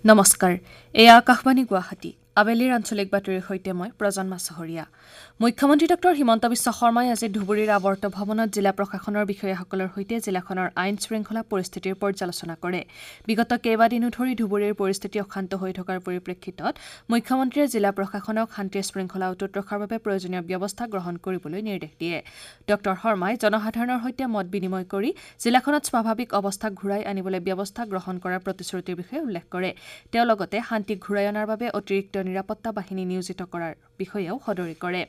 নমস্কাৰ, এয়া আকাশবাণী গুৱাহাটী। আবেলিৰ আঞ্চলিক বাতৰিৰ সৈতে মই প্ৰজন্মা চহৰীয়া। মুখ্যমন্ত্ৰী ডঃ হিমন্ত বিশ্ব শৰ্মাই আজি ধুবুৰীৰ আৱৰ্ত ভৱনত জিলা প্ৰশাসনৰ বিষয়াসকলৰ সৈতে জিলাখনৰ আইন শৃংখলা পৰিস্থিতিৰ পৰ্যালোচনা কৰে। বিগত কেইবাদিনো ধৰি ধুবুৰীৰ পৰিস্থিতি অশান্ত হৈ থকাৰ পৰিপ্ৰেক্ষিতত মুখ্যমন্ত্ৰীয়ে জিলা প্ৰশাসনক শান্তি শৃংখলা অটুট ৰখাৰ বাবে প্ৰয়োজনীয় ব্যৱস্থা গ্ৰহণ কৰিবলৈ নিৰ্দেশ দিয়ে। ডঃ শৰ্মাই জনসাধাৰণৰ সৈতে মত বিনিময় কৰি জিলাখনত স্বাভাৱিক অৱস্থা ঘূৰাই আনিবলৈ ব্যৱস্থা গ্ৰহণ কৰাৰ প্ৰতিশ্ৰুতিৰ বিষয়ে উল্লেখ কৰে। তেওঁ লগতে শান্তি ঘূৰাই অনাৰ বাবে অতিৰিক্ত নিৰাপত্তা বাহিনী নিয়োজিত কৰাৰ বিষয়েও সদৰি কৰে।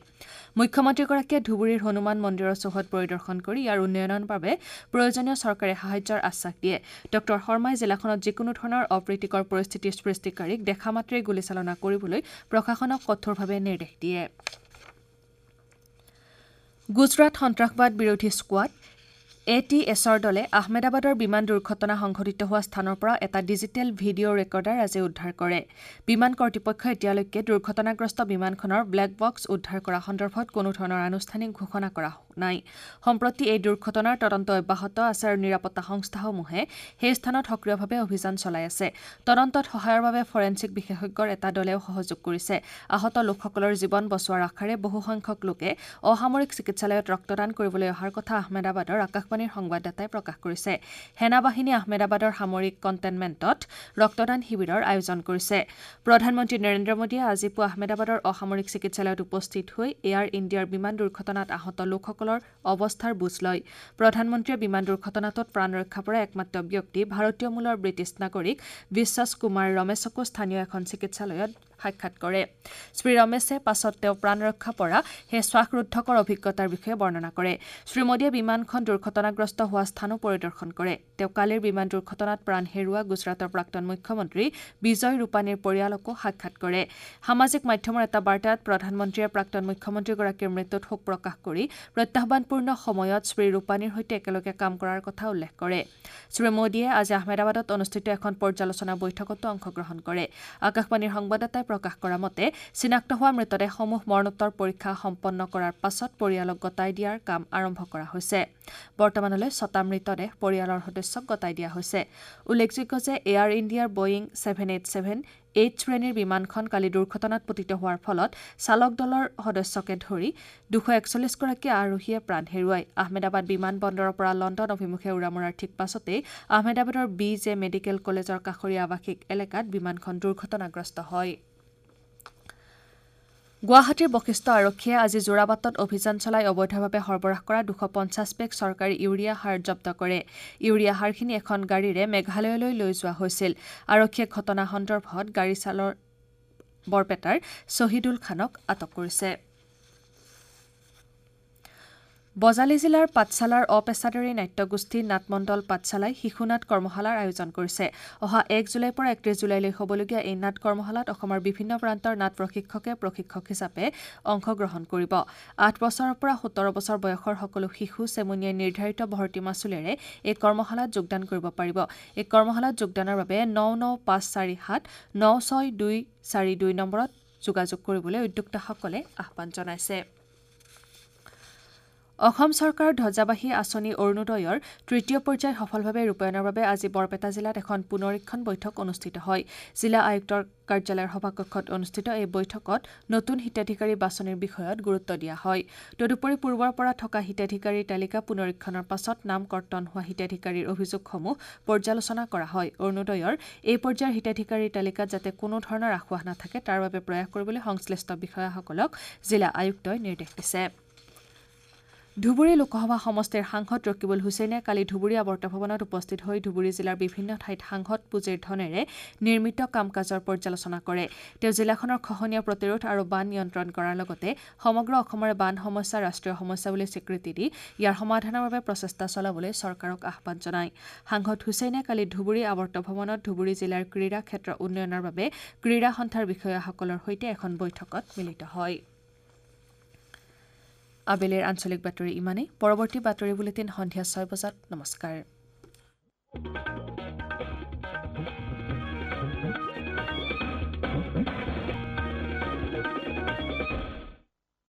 মুখ্যমন্ত্ৰীগৰাকীয়ে ধুবুৰীৰ হনুমান মন্দিৰৰ চৌহদ পৰিদৰ্শন কৰি ইয়াৰ উন্নয়নৰ বাবে প্ৰয়োজনীয় চৰকাৰী সাহায্যৰ আশ্বাস দিয়ে। ডঃ শৰ্মাই জিলাখনত যিকোনো ধৰণৰ অপ্ৰীতিকৰ পৰিস্থিতিৰ সৃষ্টিকাৰীক দেখা মাত্ৰেই গুলীচালনা কৰিবলৈ প্ৰশাসনক কঠোৰভাৱে নিৰ্দেশ দিয়ে। গুজৰাট সন্ত্ৰাসবাদ বিৰোধী স্কোৱাড ATSৰ দলে আহমেদাবাদৰ বিমান দুৰ্ঘটনা সংঘটিত হোৱা স্থানৰ পৰা এটা ডিজিটেল ভিডিঅ' ৰেকৰ্ডাৰ আজি উদ্ধাৰ কৰে। বিমান কৰ্তৃপক্ষই এতিয়ালৈকে দুৰ্ঘটনাগ্ৰস্ত বিমানখনৰ ব্লেক বক্স উদ্ধাৰ কৰা সন্দৰ্ভত কোনো ধৰণৰ আনুষ্ঠানিক ঘোষণা কৰা নাই। সম্প্ৰতি এই দুৰ্ঘটনাৰ তদন্ত অব্যাহত আছে আৰু নিৰাপত্তা সংস্থাসমূহে সেই স্থানত সক্ৰিয়ভাৱে অভিযান চলাই আছে। তদন্তত সহায়ৰ বাবে ফৰেনছিক বিশেষজ্ঞৰ এটা দলেও সহযোগ কৰিছে। আহত লোকসকলৰ জীৱন বচোৱাৰ আশাৰে বহুসংখ্যক লোকে অসামৰিক চিকিৎসালয়ত ৰক্তদান কৰিবলৈ অহাৰ কথা আহমেদাবাদৰ আকাশবাণীৰ সংবাদদাতাই প্ৰকাশ কৰিছে। সেনাবাহিনীয়ে আহমেদাবাদৰ সামৰিক কণ্টেইনমেণ্টত ৰক্তদান শিবিৰৰ আয়োজন কৰিছে। প্ৰধানমন্ত্ৰী নৰেন্দ্ৰ মোদীয়ে আজি পুৱা আহমেদাবাদৰ অসামৰিক চিকিৎসালয়ত উপস্থিত হৈ এয়াৰ ইণ্ডিয়াৰ বিমান দুৰ্ঘটনাত আহত লোকসকলৰ অৱস্থাৰ বুজ লয়। প্ৰধানমন্ত্ৰীয়ে বিমান দুৰ্ঘটনাটোত প্ৰাণ ৰক্ষা পৰা একমাত্ৰ ব্যক্তি ভাৰতীয় মূলৰ ব্ৰিটিছ নাগৰিক বিশ্বাস কুমাৰ ৰমেশকো স্থানীয় এখন চিকিৎসালয়ত সাক্ষাৎ কৰে। শ্ৰী ৰমেশে পাছত তেওঁ প্ৰাণ ৰক্ষা পৰা সেই শ্বাসৰুদ্ধকৰ অভিজ্ঞতাৰ বিষয়ে বৰ্ণনা কৰে। শ্ৰী মোদীয়ে বিমানখন দুৰ্ঘটনাগ্ৰস্ত হোৱা স্থানো পৰিদৰ্শন কৰে। তেওঁ কালিৰ বিমান দুৰ্ঘটনাত প্ৰাণ হেৰুওৱা গুজৰাটৰ প্ৰাক্তন মুখ্যমন্ত্ৰী বিজয় ৰূপানীৰ পৰিয়ালকো সাক্ষাৎ কৰে। সামাজিক মাধ্যমৰ এটা বাৰ্তাত প্ৰধানমন্ত্ৰীয়ে প্ৰাক্তন মুখ্যমন্ত্ৰীগৰাকীৰ মৃত্যুত শোক প্ৰকাশ কৰি প্ৰত্যাহ্বানপূৰ্ণ সময়ত শ্ৰী ৰূপানীৰ সৈতে একেলগে কাম কৰাৰ কথা উল্লেখ কৰে। শ্ৰী মোদীয়ে আজি আহমেদাবাদত অনুষ্ঠিত এখন পৰ্যালোচনা বৈঠকতো অংশগ্ৰহণ কৰে। আকাশবাণীৰ সংবাদদাতাই প্ৰকাশ কৰা মতে চিনাক্ত হোৱা মৃতদেহসমূহ মৰণোত্তৰ পৰীক্ষা সম্পন্ন কৰাৰ পাছত পৰিয়ালক গতাই দিয়াৰ কাম আৰম্ভ কৰা হৈছে। বৰ্তমানলৈ 6টা মৃতদেহ পৰিয়ালৰ সদস্যক গতাই দিয়া হৈছে। উল্লেখযোগ্য যে এয়াৰ ইণ্ডিয়াৰ বয়িং 787-8 শ্ৰেণীৰ বিমানখন কালি দুৰ্ঘটনাত পতিত হোৱাৰ ফলত চালক দলৰ সদস্যকে ধৰি 241গৰাকী আৰোহীয়ে প্ৰাণ হেৰুৱায়। আহমেদাবাদ বিমান বন্দৰৰ পৰা লণ্ডন অভিমুখে উৰা মৰাৰ ঠিক পাছতেই আহমেদাবাদৰ বি জে মেডিকেল কলেজৰ কাষৰীয়া আৱাসিক এলেকাত বিমানখন দুৰ্ঘটনাগ্ৰস্ত হয়। গুৱাহাটীৰ বশিষ্ঠ আৰক্ষীয়ে আজি যোৰাবাটত অভিযান চলাই অবৈধভাৱে সৰবৰাহ কৰা 250 বেগ চৰকাৰী ইউৰিয়া সাৰ জব্দ কৰে। ইউৰিয়া সাৰখিনি এখন গাড়ীৰে মেঘালয়লৈ লৈ যোৱা হৈছিল। আৰক্ষীয়ে ঘটনা সন্দৰ্ভত গাড়ী চালক বৰপেটাৰ শ্বহিদুল খানক আটক কৰিছে। বজালী জিলাৰ পাঠশালাৰ অপেছাদাৰী নাট্যগোষ্ঠী নাটমণ্ডল পাঠশালাই শিশু নাট কৰ্মশালাৰ আয়োজন কৰিছে। অহা 1 জুলাইৰ পৰা 31 জুলাইলৈ হ'বলগীয়া এই নাট কৰ্মশালাত অসমৰ বিভিন্ন প্ৰান্তৰ নাট প্ৰশিক্ষকে প্ৰশিক্ষক হিচাপে অংশগ্ৰহণ কৰিব। 8 বছৰৰ পৰা 17 বছৰ বয়সৰ সকলো শিশু চেমনীয়াই নিৰ্ধাৰিত ভৰ্তি মাচুলেৰে এই কৰ্মশালাত যোগদান কৰিব পাৰিব। এই কৰ্মশালাত যোগদানৰ বাবে 99547 96242 নম্বৰত যোগাযোগ কৰিবলৈ উদ্যোক্তাসকলে আহ্বান জনাইছে। অসম চৰকাৰৰ ধ্বজাবাহী আঁচনি অৰুণোদয়ৰ তৃতীয় পৰ্যায় সফলভাৱে ৰূপায়ণৰ বাবে আজি বৰপেটা জিলাত এখন পুনৰীক্ষণ বৈঠক অনুষ্ঠিত হয়। জিলা আয়ুক্তৰ কাৰ্যালয়ৰ সভাকক্ষত অনুষ্ঠিত এই বৈঠকত নতুন হিতাধিকাৰী বাছনিৰ বিষয়ত গুৰুত্ব দিয়া হয়। তদুপৰি পূৰ্বৰ পৰা থকা হিতাধিকাৰীৰ তালিকা পুনৰীক্ষণৰ পাছত নাম কৰ্তন হোৱা হিতাধিকাৰীৰ অভিযোগসমূহ পৰ্যালোচনা কৰা হয়। অৰুণোদয়ৰ এই পৰ্যায়ৰ হিতাধিকাৰীৰ তালিকাত যাতে কোনো ধৰণৰ আসোঁৱাহ নাথাকে তাৰ বাবে প্ৰয়াস কৰিবলৈ সংশ্লিষ্ট বিষয়াসকলক জিলা আয়ুক্তই নিৰ্দেশ দিছে। ধুবুৰী লোকসভা সমষ্টিৰ সাংসদ ৰকিবুল হুছেইনে কালি ধুবুৰী আৱৰ্ত ভৱনত উপস্থিত হৈ ধুবুৰী জিলাৰ বিভিন্ন ঠাইত সাংসদ পুঁজিৰ ধনেৰে নিৰ্মিত কাম কাজৰ পৰ্যালোচনা কৰে। তেওঁ জিলাখনৰ খহনীয়া প্ৰতিৰোধ আৰু বান নিয়ন্ত্ৰণ কৰাৰ লগতে সমগ্ৰ অসমৰে বান সমস্যা ৰাষ্ট্ৰীয় সমস্যা বুলি স্বীকৃতি দি ইয়াৰ সমাধানৰ বাবে প্ৰচেষ্টা চলাবলৈ চৰকাৰক আহ্বান জনায়। সাংসদ হুছেইনে কালি ধুবুৰী আৱৰ্ত ভৱনত ধুবুৰী জিলাৰ ক্ৰীড়া ক্ষেত্ৰ উন্নয়নৰ বাবে ক্ৰীড়া সন্থাৰ বিষয়াসকলৰ সৈতে এখন বৈঠকত মিলিত হয়। আবেলিৰ আঞ্চলিক বাতৰি ইমানেই। পৰৱৰ্তী বাতৰি বুলেটিন সন্ধিয়া 6 বজাত। নমস্কাৰ।